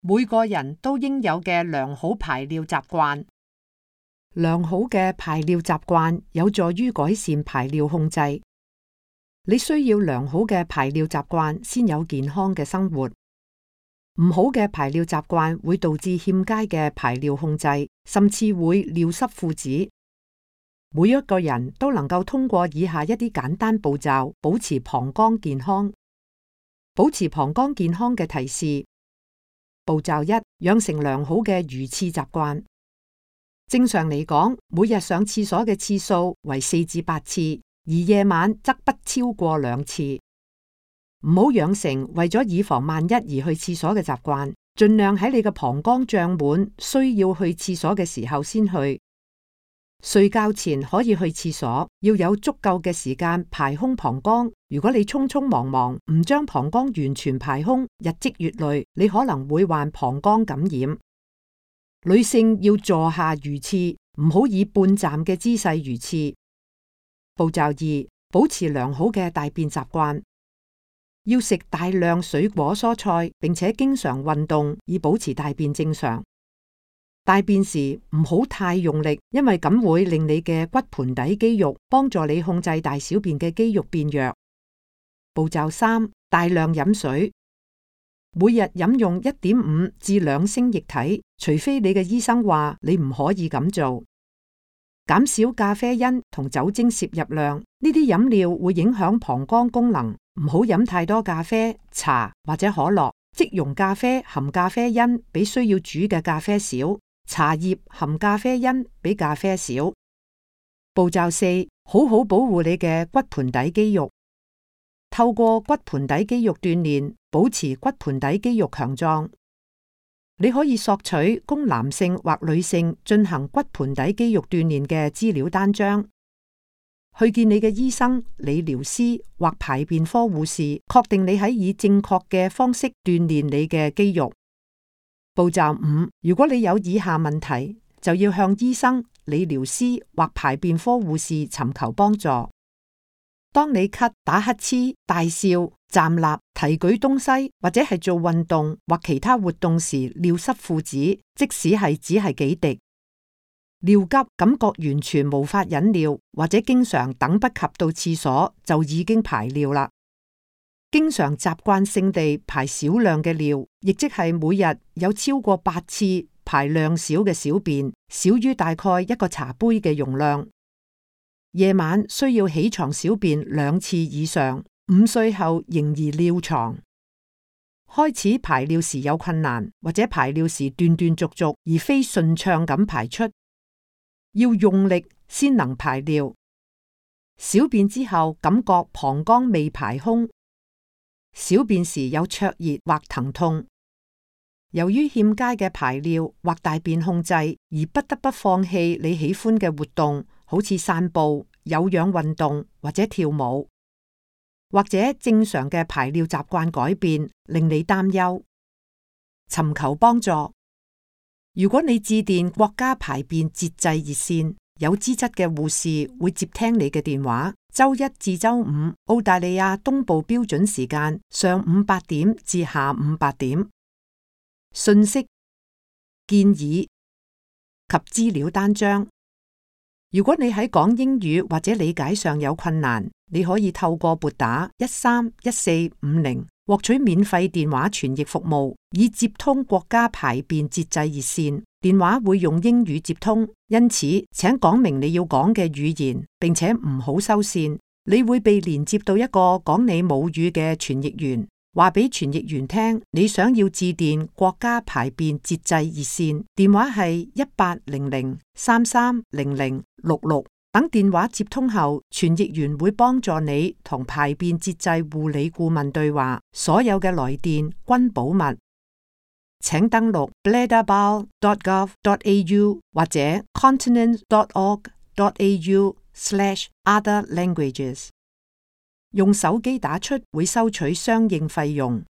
每個人都應有嘅良好排尿習慣。良好嘅排尿習慣有助於改善排尿控制。你需要良好嘅排尿習慣先有健康嘅生活。唔好嘅排尿習慣會導致欠佳嘅排尿控制，甚至會尿失褲子。每一個人都能夠通過以下一啲簡單步驟保持膀胱健康。保持膀胱健康嘅提示：步驟1，養成良好嘅如廁習慣。正常嚟講，每日上廁所嘅次數為4至8次，而夜晚則不超過2次。唔好養成為咗以防萬一而去廁所嘅習慣，盡量喺你嘅膀胱脹滿需要去廁所嘅時候先去。睡覺前可以去廁所，要有足夠嘅時間排空膀胱。如果你匆匆忙忙唔將膀胱完全排空，日積月累，你可能會患膀胱感染。女性要坐下如廁，唔好以半站嘅姿勢如廁。步驟2，保持良好嘅大便習慣。要食大量水果蔬菜，並且經常運動，以保持大便正常。大便時唔好太用力，因為咁會令你嘅骨盆底肌肉幫助你控制大小便嘅肌肉變弱。步驟3，大量飲水，每日飲用1.5至2升液體，除非你嘅醫生話你唔可以咁做。減少咖啡因同酒精攝入量，呢啲飲料會影響膀胱功能。唔好飲太多咖啡、茶或者可樂。即溶咖啡含咖啡因比需要煮嘅咖啡少，茶葉含咖啡因比咖啡少。步驟4，好好保護你嘅骨盆底肌肉。透過骨盆底肌肉鍛煉，保持骨盆底肌肉強壯。你可以索取供男性或女性進行骨盆底肌肉鍛煉嘅資料單張。去見你嘅醫生、理療師或排便科護士，確定你喺以正確嘅方式鍛煉你嘅肌肉。步驟5，如果你有以下問題，就要向醫生、理療師或排便科護士尋求幫助。當你咳、打乞嗤、大笑、站立、提舉東西或者係做運動或其他活動時尿濕褲子，即使係只係幾滴。尿急，感覺完全無法忍尿，或者經常等不及到廁所就已經排尿啦。經常習慣性地排少量嘅尿，亦即係每日有超過8次排量少嘅小便，少於大概一個茶杯嘅容量。夜晚需要起床小便2次以上。5歲後仍然尿床。開始排尿時有困難，或者排尿時斷斷續續而非順暢咁排出。要用力先能排尿。小便之後感覺膀胱未排空。小便時有灼熱或疼痛。由於欠佳嘅排尿或大便控制，而不得不放棄你喜歡嘅活動，好似散步、有氧運動或者跳舞，或者正常嘅排尿習慣改變，令你擔憂。尋求幫助。如果你致電國家排便節制熱線，有資質嘅護士會接聽你嘅電話。周一至周五，澳大利亞東部標準時間上午8點至下午8點。信息、建議及資料單張。如果你喺講英語或者理解上有困難，你可以透過撥打131450獲取免費電話傳譯服務，以接通國家排便節制熱線。電話會用英語接通，因此請講明你要講嘅語言，並且唔好收線。你會被連接到一個講你母語嘅傳譯員，話俾傳譯員聽你想要致電國家排便節制熱線，電話係1800330066。等電話接通後，傳譯員會幫助你同排便節制護理顧問對話，所有嘅來電均保密。請登錄 bladderbowel.gov.au 或者 continent.org.au/other languages。用手機打出會收取相應費用。